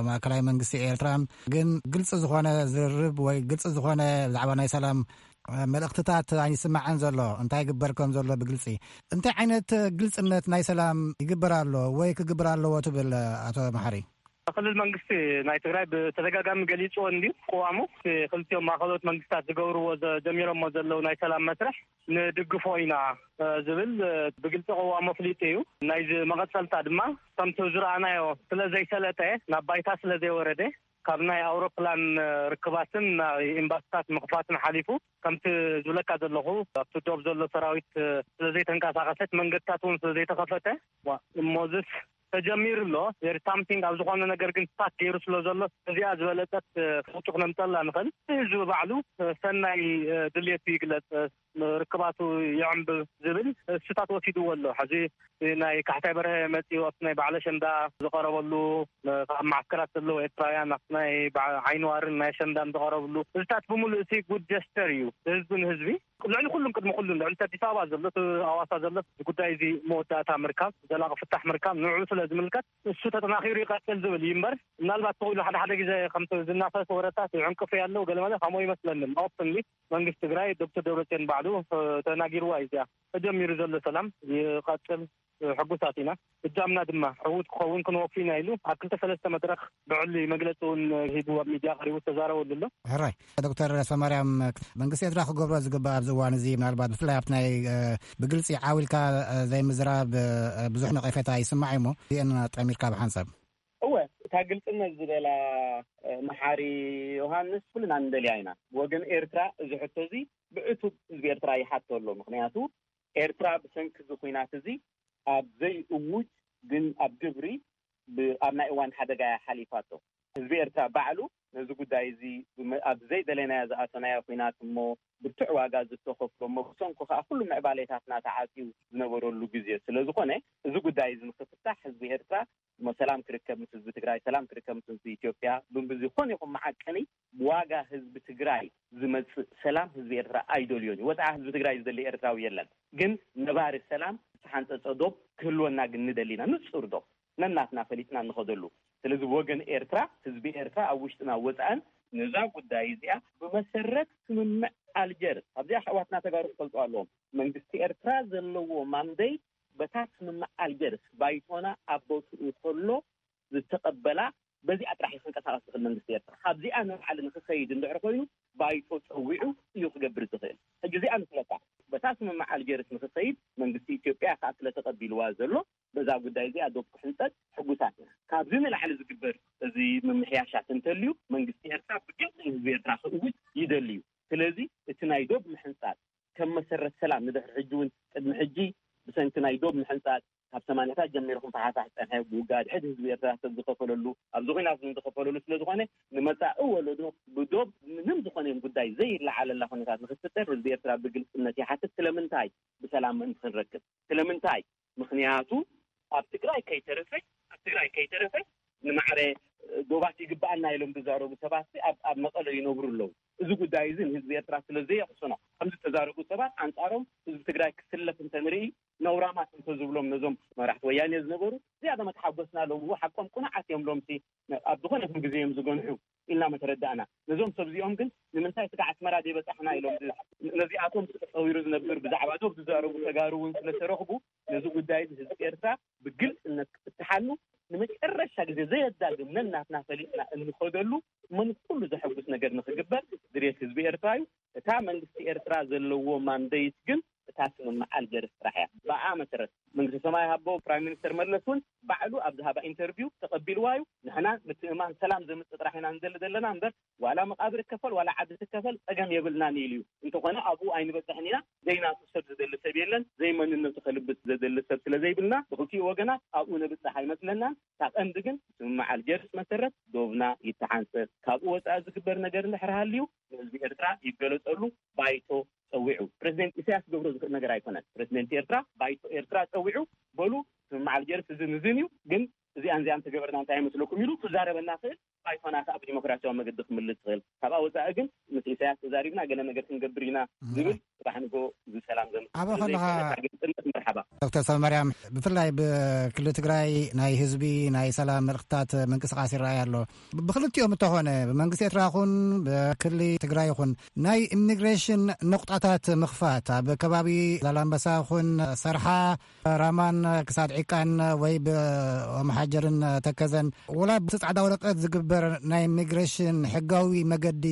ማእከላይ መንግስቲ ኤርትራን ግን ግልጺ ዝኾነ ዝርርብ ወይ ግልጺ ዝኾነ ብዛዕባ ናይ ሰላም፣ እ፣ መልእኽትታት ኣይስማዕን ዘሎ። እንታይ ይግበር ከም ዘሎ ብግልጺ፣ እንታይ ዓይነት ግልጽነት ናይ ሰላም ይግበር ኣሎ ወይ ክግበር ኣለዎ ትብል ኣቶ መሓሪ? ክልል መንግስቲ ናይ ትግራይ ብተደጋጋሚ ገሊጽዎ እንድዩ ቅዋሙ። ክልቲኦም ማእኸሎት መንግስታት ዝገብርዎ ዘ-፣ ጀሚሮሞ ዘለዉ ናይ ሰላም መስርሕ ንድግፎ ኢና፣ እ፣ ዝብል፣ እ፣ ብግልጺ ቅዋሙ ኣፍሊጡ እዩ። ናይዚ መቐጸልታ ድማ ከምቲ ዝረኣናዮ ስለ ዘይሰለጠ፣ ናብ ባይታ ስለ ዘይወረደ፣ ካብ ናይ ኣውሮፕላን፣ እ፣ ርክባትን ናይ ኤምባሲታት ምኽፋትን ሓሊፉ፣ ከምቲ ዝብለካ ዘለኹ፣ ኣብቲ ዶብ ዘሎ ሰራዊት፣ እ፣ ስለ ዘይተንቀሳቐሰት፣ መንገድታት እውን ስለ ዘይተኸፈተ፣ ዋ፣ እሞዝስ ተጀሚሩ ኣሎ። There is something ኣብ ዝኾነ ነገር ግን ስታክ ገይሩ ስለ ዘሎ፣ እዚኣ ዝበለጸት፣ እ፣ ለውጢ ክነምጸላ ንኽእል። እቲ ህዝቢ ባዕሉ፣ እ፣ ሰናይ፣ እ፣ ድልየቱ ይግለጽ፣ እ፣ ርክባቱ ይዕምብብ ዝብል፣ እ፣ ስታት ወሲድዎ ኣሎ። ሕዚ ናይ ካሕሳይ በርሀ መጺኡ ኣብቲ ናይ በዓል ኣሸንዳ ዝቐረበሉ፣ እ፣ ካብ ማዕስከራት ዘለዉ ኤርትራውያን ኣብቲ ናይ በዓ-፣ ዓይኒ ዋርን ናይ ኣሸንዳን ዝቐረብሉ፣ እዚታት ብምሉእ እቲ ጉድ ጀስተር እዩ። ህዝቢ ንህዝቢ ልዕሊ ኩሉን ቅድሚ ኩሉን ልዕሊ እቲ ኣዲስ ኣበባ ዘሎ፣ እቲ ኣዋሳ ዘሎ፣ እዚ ጉዳይ እዚ መወዳእታ ምርካብ፣ ዘላቒ ፍታሕ ምርካብ ንዕኡ ስለ ዝምልከት፣ እሱ ተጠናኺሩ ይቐጽል ዝብል እዩ እምበር፣ ምናልባት ተኽኢሉ ሓደ ሓደ ግዜ ከምቲ ዝናፈስ ወረታት ይዕንቅፉ ያለው ገለመለ ከምኡ ይመስለንም። ኦፕንሊ መንግስቲ ትግራይ ዶክተር ደብረጽዮን ባዕሉ፣ እ፣ ተናጊርዋ እዩ። እዚኣ ተጀሚሩ ዘሎ ሰላም ይቐጽል፣ እ፣ ሕጉሳት ኢና። እጃምና ድማ ዕዉት ክኸውን ክንወፉ ኢና ኢሉ ኣብ ክልተ ሰለስተ መድረኽ ብዕሊ መግለጺ እውን ሂቡ ኣብ ሚድያ ቀሪቡ ተዛረበሉ ኣሎ። ሕራይ ዶክተር ሰማርያም፣ መንግስቲ ኤርትራ ክገብሮ ዝግባእ ኣብዚ እዋን እዚ፣ ምናልባት ብፍላይ ኣብቲ ናይ፣ እ፣ ብግልጺ ዓው ኢልካ፣ እ፣ ዘይምዝራብ፣ እ፣ ብዙሕ ነቐፌታ ይስማዕ እዩ እሞ፣ እዚአን ጠሚርካ ብሓንሳብ። እወ፣ እታ ግልጽነት ዝበላ፣ እ፣ መሓሪ ዮሃንስ ኩልና ንደልያ ኢና። ወገን ኤርትራ እዚ ሕቶ እዚ ብዕቱብ ህዝቢ ኤርትራ ይሓቶ ኣሎ። ምኽንያቱ ኤርትራ ብሰንኪ እዚ ኲናት እዚ ኣብ ዘይእውጅ ግን ኣብ ግብሪ ብ-፣ ኣብ ናይ እዋን ሓደጋ እያ ሓሊፋቶ። ህዝቢ ኤርትራ ባዕሉ ነዚ ጉዳይ እዚ ብመ-፣ ኣብ ዘይደለናዮ ዝኣተናዮ ኲናት እሞ ብርቱዕ ዋጋ ዝተኸፍሎ እሞ ብሰንኩ ከኣ ኩሉ ምዕባሌታትና ተዓጽዩ ዝነበረሉ ግዜ ስለ ዝኾነ፣ እዚ ጉዳይ እዚ ንኽፍታሕ ህዝቢ ኤርትራ እሞ ሰላም ክርከብ ምስ ህዝቢ ትግራይ፣ ሰላም ክርከብ ምስ ህዝቢ ኢትዮጵያ፣ ብዝኾነ ይኹን መዓቀኒ ብዋጋ ህዝቢ ትግራይ ዝመጽእ ሰላም ህዝቢ ኤርትራ ኣይደልዮን እዩ። ወጽዓ ህዝቢ ትግራይ ዝደሊ ኤርትራዊ የለን። ግን ነባሪ ሰላም፣ ዝተሓንጸጸ ዶብ ክህልወና ግን ንደሊ ኢና፣ ንጹር ዶብ ነናትና ፈሊጥና እንኸደሉ። ስለዚ ብወገን ኤርትራ፣ ህዝቢ ኤርትራ ኣብ ውሽጥና ወጻእን ነዛ ጉዳይ እዚኣ ብመሰረት ስምምዕ ኣልጀርስ፣ ኣብዚኣ ኣሕዋትና ተጋሩ ክፈልጡ ኣለዎም። መንግስቲ ኤርትራ ዘለዎ ማንደይ በታ ስምምዕ ኣልጀርስ ባይቶና ኣብ ቦትኡ ከሎ ዝተቐበላ፣ በዚኣ ጥራሕ እዩ ክንቀሳቐስ ዝኽእል መንግስቲ ኤርትራ። ካብዚኣ ንላዕሊ ንክኸይድ እንድሕር ኮይኑ ባይቶ ጸዊዑ እዩ ክገብር ዝኽእል። ሕጂ እዚኣ ንፍለጣ። በታ ስምምዕ ኣልጀርስ ንክኸይድ መንግስቲ ኢትዮጵያ ከዓ ስለ ተቐቢልዋ ዘሎ በዛ ጉዳይ እዚኣ ዶብ ክሕንጸጥ ሕጉሳት ኢና። ካብዚ ንላዕሊ ዝግበር እዚ ምምሕያሻት እንተልዩ መንግስቲ ኤርትራ ብግልፂ ንህዝቢ ኤርትራ ክእውጅ ይደሊ እዩ። ስለዚ እቲ ናይ ዶብ ምሕንጻጥ ከም መሰረት ሰላም ንድሕሪ ሕጂ እውን ቅድሚ ሕጂ ብሰንኪ ናይ ዶብ ምሕንጻጥ ካብ ሰማንያታት ጀሚርኩም ተሓሳስ ጸንሐ ብውግእ ኣድሕድ ህዝቢ ኤርትራ ሰብ ዝኸፈለሉ ኣብዚ ኹናት እውን ዝኸፈለሉ ስለ ዝኾነ ንመጻኢ ወለዶ ብዶብ ምንም ዝኾነ ጉዳይ ዘይለዓለላ ኩነታት ንክትፍጠር ህዝቢ ኤርትራ ብግልጽነት ይሓትት። ስለምንታይ ብሰላም ምእንቲ ክንረክብ ስለምንታይ ምኽንያቱ ኣብ ትግራይ ከይተረፈ ኣብ ትግራይ ከይተረፈ ንማዕረ ዶባት ይግባኣና ኢሎም ዝዛረቡ ሰባት ኣብ ኣብ መቐለ ይነብሩ ኣለዉ። እዚ ጉዳይ እዚ ንህዝቢ ኤርትራ ስለ ዘየቕስኖ ከምዚ ዝተዛረቡ ሰባት ኣንጻሮም ህዝቢ ትግራይ ክስለፍ እንተንርኢ ነውራማት እንተዝብሎም ነዞም መራሕቲ ወያኔ ዝነበሩ ዝያዳ መተሓጎስና ሎም እዎ ሓቆም ቁኑዓት እዮም ሎምሲ ኣብ ዝኾነ ይኹን ግዜ እዮም ዝገንሑ ኢልና መተረዳእና። ነዞም ሰብ እዚኦም ግን ንምንታይ ስጋዕ ኣስመራ ዘይበጻሕና ኢሎም ነዚኣቶም ተጸዊሩ ዝነብር ብዛዕባ ዶብ ዝዛረቡ ተጋሩ እውን ስለተረኽቡ ነዚ ጉዳይ እዚ ህዝቢ ኤርትራ ብግልጽነት ክፍትሓሉ ንመጨረሻ ግዜ ዘየዳግም ነናትና ፈሊጥና እንኸደሉ እሞ ንኩሉ ዘሐጉስ ነገር ንክግበር ድሌት ህዝቢ ኤርትራ እዩ። እታ መንግስቲ ኤርትራ ዘለዎ ማንደይት ግን እታ ስምምዕ ኣልጀርስ ጥራሕ እያ። ብኣ መሰረት መንግስቲ ሰማይ ሃቦ ፕራይም ሚኒስተር መለስ እውን ባዕሉ ኣብ ዝሃባ ኢንተርቪው ተቐቢልዋ እዩ። ንሕና ምትእማን ሰላም ዘምፅእ ጥራሕ ኢና ንደሊ ዘለና እምበር ዋላ መቓብር ይከፈል ዋላ ዓዲ ትከፈል ፀገም የብልናን ኢሉ እዩ። እንተኾነ ኣብኡ ኣይንበፅሕን ኢና። ዘይናቱ ሰብ ዝደሊ ሰብ የለን። ዘይመንነቱ ከልብስ ዘደሊ ሰብ ስለ ዘይብልና ብክልቲኡ ወገናት ኣብኡ ነብፅሕ ኣይመስለናን። ካብ ቀንዲ ግን ስምምዕ ኣልጀርስ መሰረት ዶብና ይተሓንፀ። ካብኡ ወፃኢ ዝግበር ነገር እንድሕር ሃልዩ ንህዝቢ ኤርትራ ይገለፀሉ። ባይቶ ፀዊዑ ፕሬዚደንት ኢሳያስ ክገብሮ ዝኽእል ነገር ኣይኮነን። ፕሬዚደንት ኤርትራ ባይቶ ኤርትራ ፀዊዑ በሉ ስምምዕ ኣልጀርስ እዝን እዝን እዩ ግን እዚኣን እዚኣን ተገበርና እንታይ ይመስለኩም ኢሉ ክዛረበና ክእል። ባይቶና ከዓ ብዲሞክራሲያዊ መገዲ ክምልስ ይኽእል። ካብኣ ወፃኢ ግን ምስ ኢሳያስ ተዛሪብና ገለ ነገር ክንገብር ኢና ዝብል ጽባሕ ንጎ ዝሰላም ዘምፅእ ኣበ ስለ ከለኻ ዘይኮነ፣ ካብ ግልፅነት መርሓባ። ዶክተር ሰብማርያም፣ ብፍላይ ብክልል ትግራይ ናይ ህዝቢ ናይ ሰላም መልእኽትታት ምንቅስቃስ ይረኣይ ኣሎ። ብክልቲኦም እንተኾነ ብመንግስቲ ኤርትራ ይኹን ብክልል ትግራይ ይኹን ናይ ኢሚግሬሽን ነቁጣታት ምኽፋት ኣብ ከባቢ ዛላምበሳ ይኹን ሰርሓ ራማን ክሳድ ዒቃን ወይ ብኦምሓጀርን ተከዘን ወላ ብቲ ጻዕዳ ወረቀት ዝግበር ናይ ኢሚግሬሽን ሕጋዊ መገዲ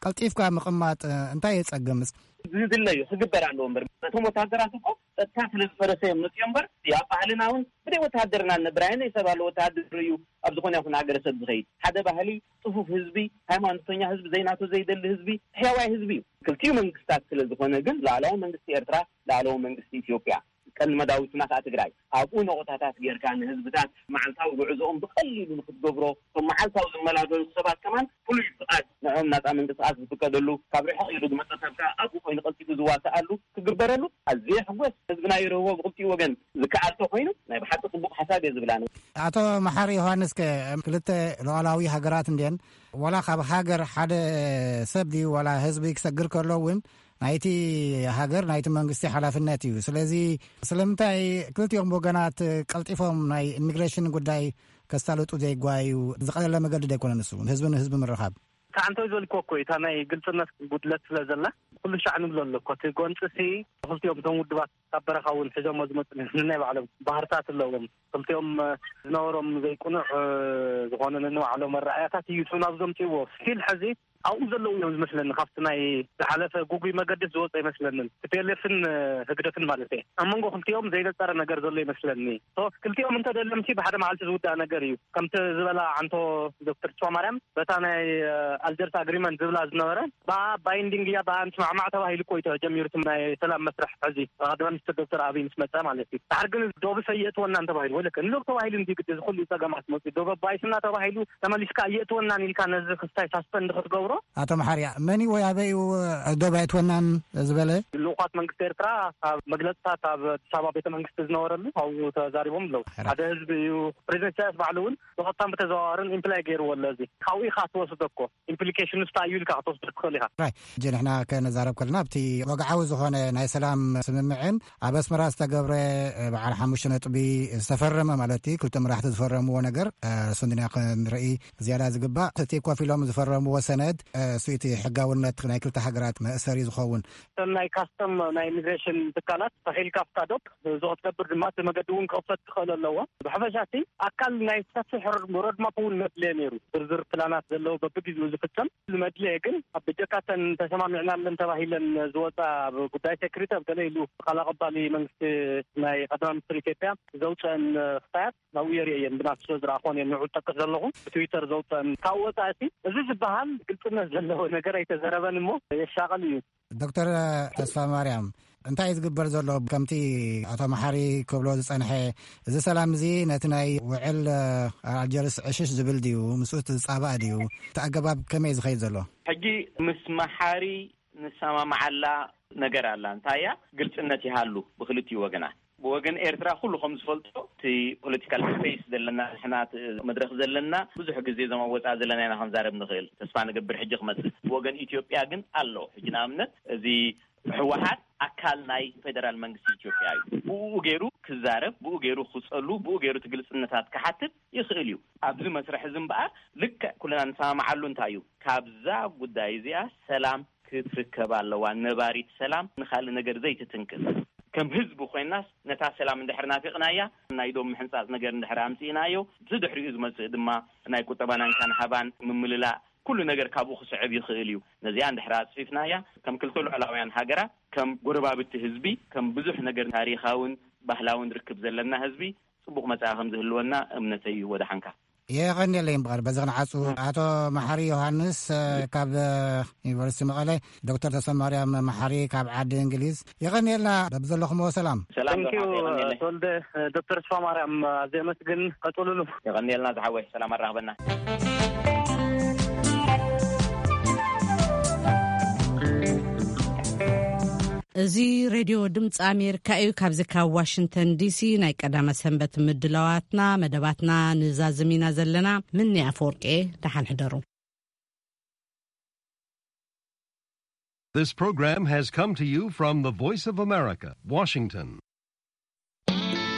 ቀልጢፍካ ምቕማጥ እንታይ የጸግምስ? ዝድለ እዩ፣ ክግበር ኣለዎ። እምበር እቶም ወታደራት እኮ ጸጥታ ስለ ዝፈረሰ እዮም መፅዮ። እምበር ኣብ ባህልና እውን ብደይ ወታደርና ንነብር ኣይነ ሰብ ኣሎ ወታደር እዩ ኣብ ዝኾነ ይኹን ሃገረሰብ ዝኸይድ ሓደ ባህሊ፣ ፅፉፍ ህዝቢ፣ ሃይማኖተኛ ህዝቢ፣ ዘይናቶ ዘይደሊ ህዝቢ፣ ሕያዋይ ህዝቢ እዩ። ክልቲኡ መንግስታት ስለ ዝኾነ ግን ላዕለዋይ መንግስቲ ኤርትራ፣ ላዕለዋይ መንግስቲ ኢትዮጵያ፣ ቀንዲ መዳውትና ከዓ ትግራይ፣ ኣብኡ ነቑጣታት ጌርካ ንህዝብታት መዓልታዊ ጉዕዞኦም ብቐሊሉ ንክትገብሮ፣ እቶም መዓልታዊ ዝመላለሱ ሰባት ከማን ፍሉይ ፍቓድ ንዕኦም ናፃ ምንቅስቃስ ዝፍቀደሉ፣ ካብ ርሕቕ ኢሉ ዝመፀ ሰብ ከዓ ኣብኡ ኮይኑ ቀልጢፉ ዝዋሰኣሉ ክግበረሉ ኣዝየ ሕጎስ። ህዝብና ይርህቦ ብክልቲኡ ወገን ዝከኣል ተኮይኑ ናይ ብሓቂ ፅቡቅ ሓሳብ እየ ዝብል ኣነ። ኣቶ መሓሪ ዮሃንስ ከ ክልተ ሉዓላዊ ሃገራት እንድየን ዋላ ካብ ሃገር ሓደ ሰብ ድዩ ዋላ ህዝቢ ክሰግር ከሎ እውን ናይቲ ሃገር ናይቲ መንግስቲ ሓላፍነት እዩ። ስለዚ ስለምንታይ ክልቲኦም ወገናት ቀልጢፎም ናይ ኢሚግሬሽን ጉዳይ ከሳልጡ ዘይጓዩ? ዝቐለለ መገዲ ዶ ኣይኮነን እሱ ንህዝቢ ንህዝቢ ምርኻብ? ከዓንተው ዝበልክዎ እኮ እዩ፣ እታ ናይ ግልፅነት ጉድለት ስለ ዘላ ኩሉ ሻዕ ንብሎ ኣሎ እኮ። እቲ ጎንፂ ሲ ክልቲኦም እቶም ውድባት ካብ በረኻ እውን ሒዞሞ ዝመፁ ናይ ባዕሎም ባህርታት ኣለዎም። ክልቲኦም ዝነበሮም ዘይቁኑዕ ዝኾነ ነንባዕሎም ኣረኣያታት እዩ እቶም ናብ ዘምፅእዎ። ስቲል ሕዚ ኣብኡ ዘለዉ እዮም ዝመስለኒ። ካብቲ ናይ ዝሓለፈ ጉጉይ መገድስ ዝወፀ ኣይመስለንን። ቲ ፒ ኤል ኤፍን ህግደፍን ማለት እየ። ኣብ መንጎ ክልቲኦም ዘይነፀረ ነገር ዘሎ ይመስለኒ። ሶ ክልቲኦም እንተደለምሲ ብሓደ መዓልቲ ዝውዳእ ነገር እዩ። ከምቲ ዝበላ ዓንቶ ዶክተር ተስፋማርያም በታ ናይ ኣልጀርስ ኣግሪመንት ዝብላ ዝነበረ ብኣ ባይንዲንግ እያ፣ ብኣ ንስማዕማዕ ተባሂሉ እኮ እዩ ተጀሚሩ እቲ ናይ ሰላም መስርሕ። ሕዚ ቀዳማይ ሚኒስትር ዶክተር ኣብይ ምስ መፀ ማለት እዩ። ድሓር ግን ዶብስ ኣየእትወናን ተባሂሉ፣ ወለከ ንዶብ ተባሂሉ እንዲ ግዲ እዚ ኩሉ ፀገማት መፅኡ ዶብ ኣባይስና ተባሂሉ ተመሊስካ ኣየእትወናን ኢልካ ነዚ ክስታይ ሳስፐንድ ክትገብሮ? ኣቶ መሓርያ፣ መን እዩ ወይ ኣበይ እዩ ዶብ ኣየእትወናን ዝበለ? ልኡኻት መንግስቲ ኤርትራ ኣብ መግለፅታት ኣብ ኣዲስ ኣበባ ቤተ መንግስቲ ዝነበረሉ ኣብኡ ተዛሪቦም ኣለዉ። ሕራ። ሓደ ህዝቢ እዩ። ፕሬዚደንት ኢሳያስ ባዕሉ እውን ብቐጥታን ብተዘዋዋርን ኢምፕላይ ገይርዎ ኣሎ። እዚ ካብኡ ኢኻ ትወስዶ እኮ። ኢምፕሊኬሽንስ እንታይ እዩ ኢልካ ክትወስዶ ትኽእል ኢኻ። ራይ፣ ሕጂ ንሕና ከነዛረብ ከለና ኣብቲ ወግዓዊ ዝኾነ ናይ ሰላም ስምምዕን ኣብ ኣስመራ ዝተገብረ በዓል ሓሙሽተ ነጥቢ ዝተፈረመ ማለት እዩ፣ ክልተ መራሕቲ ዝፈረምዎ ነገር፣ እ፣ እሱ እንድና ክንርኢ ዝያዳ ዝግባእ። እቲ ኮፍ ኢሎም ዝፈረምዎ ሰነድ፣ እ፣ እሱ እቲ ሕጋውነት ናይ ክልተ ሃገራት መእሰሪ ዝኸውን። እተን ናይ ካስተም ናይ ኢሚግሬሽን ትካላት ተኺልካ ኣብታ ዶብ እዚ ክትገብር ድማ እቲ መገዲ እውን ክኽፈት ክኽእል ኣለዎ። ብሓፈሻ እቲ ኣካል ናይ ሰፊሕ ሮድማፕ እውን መድልየ ነይሩ። ዝርዝር ፕላናት ዘለዎ በብግዜኡ ዝፍጸም ዝመድልየ ግን ኣብ ብጀካተን ተሰማሚዕናለን ተባሂለን ዝወፃ ኣብ ጉዳይ ሴኩሪቲ ኣብ ገለ ኢሉ ቃል ኣቐባሊ መንግስቲ ናይ ቀዳማይ ሚኒስትር ኢትዮጵያ ዘውፅአን ክስታያት ናብኡ የርእየን ብናቱ ስለ ዝረኣኾን እየ ንዑ ዝጠቅስ ዘለኹ ብትዊተር ዘውፅአን። ካብ ወፃኢ እቲ እዚ ዝበሃል ግልፅነት ዘለዎ ነገር ኣይተዘረበን እሞ የሻቐል እዩ። ዶክተር ተስፋ ማርያም፣ እንታይ እዩ ዝግበር ዘሎ? ከምቲ ኣቶ መሓሪ ክብሎ ዝጸንሐ፣ እዚ ሰላም እዚ ነቲ ናይ ውዕል ኣልጀርስ ዕሽሽ ዝብል ድዩ? ምስኡ ዝጻባእ ድዩ? እቲ ኣገባብ ከመይ እዩ ዝኸይድ ዘሎ? ሕጂ ምስ መሓሪ ንሰማማዓላ ነገር ኣላ። እንታይ እያ? ግልጽነት ይሃሉ ብክልቲኡ ወገናት። ብወገን ኤርትራ ኩሉ ከም ዝፈልጦ፣ እቲ ፖለቲካል ስፔስ ዘለና፣ ንሕና እቲ መድረኽ ዘለና፣ ብዙሕ ግዜ እዞም ኣብ ወጻኢ ዘለና ኢና ክንዛረብ ንኽእል። ተስፋ ንገብር ሕጂ ክመጽእ። ብወገን ኢትዮጵያ ግን ኣሎ። ሕጂ ንኣብነት፣ እዚ ህወሓት ኣካል ናይ ፌደራል መንግስቲ ኢትዮጵያ እዩ። ብኡ ገይሩ ክዛረብ፣ ብኡ ገይሩ ክጸሉ፣ ብኡ ገይሩ እቲ ግልጽነታት ክሓትት ይኽእል እዩ። ኣብዚ መስርሕ እዚ እምበኣር፣ ልክዕ ኩልና ንሰማማዓሉ እንታይ እዩ? ካብዛ ጉዳይ እዚኣ ሰላም ክትርከብ ኣለዋ። ነባሪት ሰላም ንኻልእ ነገር ዘይትትንክፍ። ከም ህዝቢ ኮይናስ ነታ ሰላም እንድሕር ናፊቕናያ፣ ናይ ዶብ ምሕንጻጽ ነገር እንድሕር ኣምጺእናዮ፣ ብድሕሪኡ ዝመጽእ ድማ ናይ ቁጠባን እንካን ሃባን ምምልላእ ኩሉ ነገር ካብኡ ክስዕብ ይኽእል እዩ። ነዚኣ እንድሕር ኣጽፊፍናያ፣ ከም ክልተ ልዑላውያን ሃገራት፣ ከም ጎረባብቲ ህዝቢ፣ ከም ብዙሕ ነገር ታሪኻውን ባህላውን ርክብ ዘለና ህዝቢ፣ ጽቡቕ መጻኢ ከም ዝህልወና እምነተይ እዩ። ወደ ሓንካ። የቐንየለይ እምበኣር፣ በዚ ክንዓጹ፣ ኣቶ መሓሪ ዮሃንስ፣ እ፣ ካብ፣ እ፣ ዩኒቨርሲቲ መቐለ፣ ዶክተር ተሰማርያም መሓሪ ካብ ዓዲ እንግሊዝ፣ የቐንየልና። በብዘለኹምዎ ሰላም። ሰላም ተንኪዩ፣ ዶክተር፣ የቐንየለይ። ተወልደ፣ እ፣ ዶክተር ተስፋ ማርያም፣ እ፣ ኣዝየ ኣመስግን። ቀጽሉሉ። የቐንየልና ዝሓወይ፣ ሰላም ኣራኽበና። እዚ ሬድዮ ድምፂ ኣሜሪካ እዩ። ካብዚ ካብ ዋሽንግተን ዲሲ ናይ ቀዳመ ሰንበት ምድላዋትና፣ መደባትና ንዛዝም ኢና ዘለና። ምኒ ኣፈወርቂ፣ ደሓን ሕደሩ። This program has come to you from the Voice of America, Washington.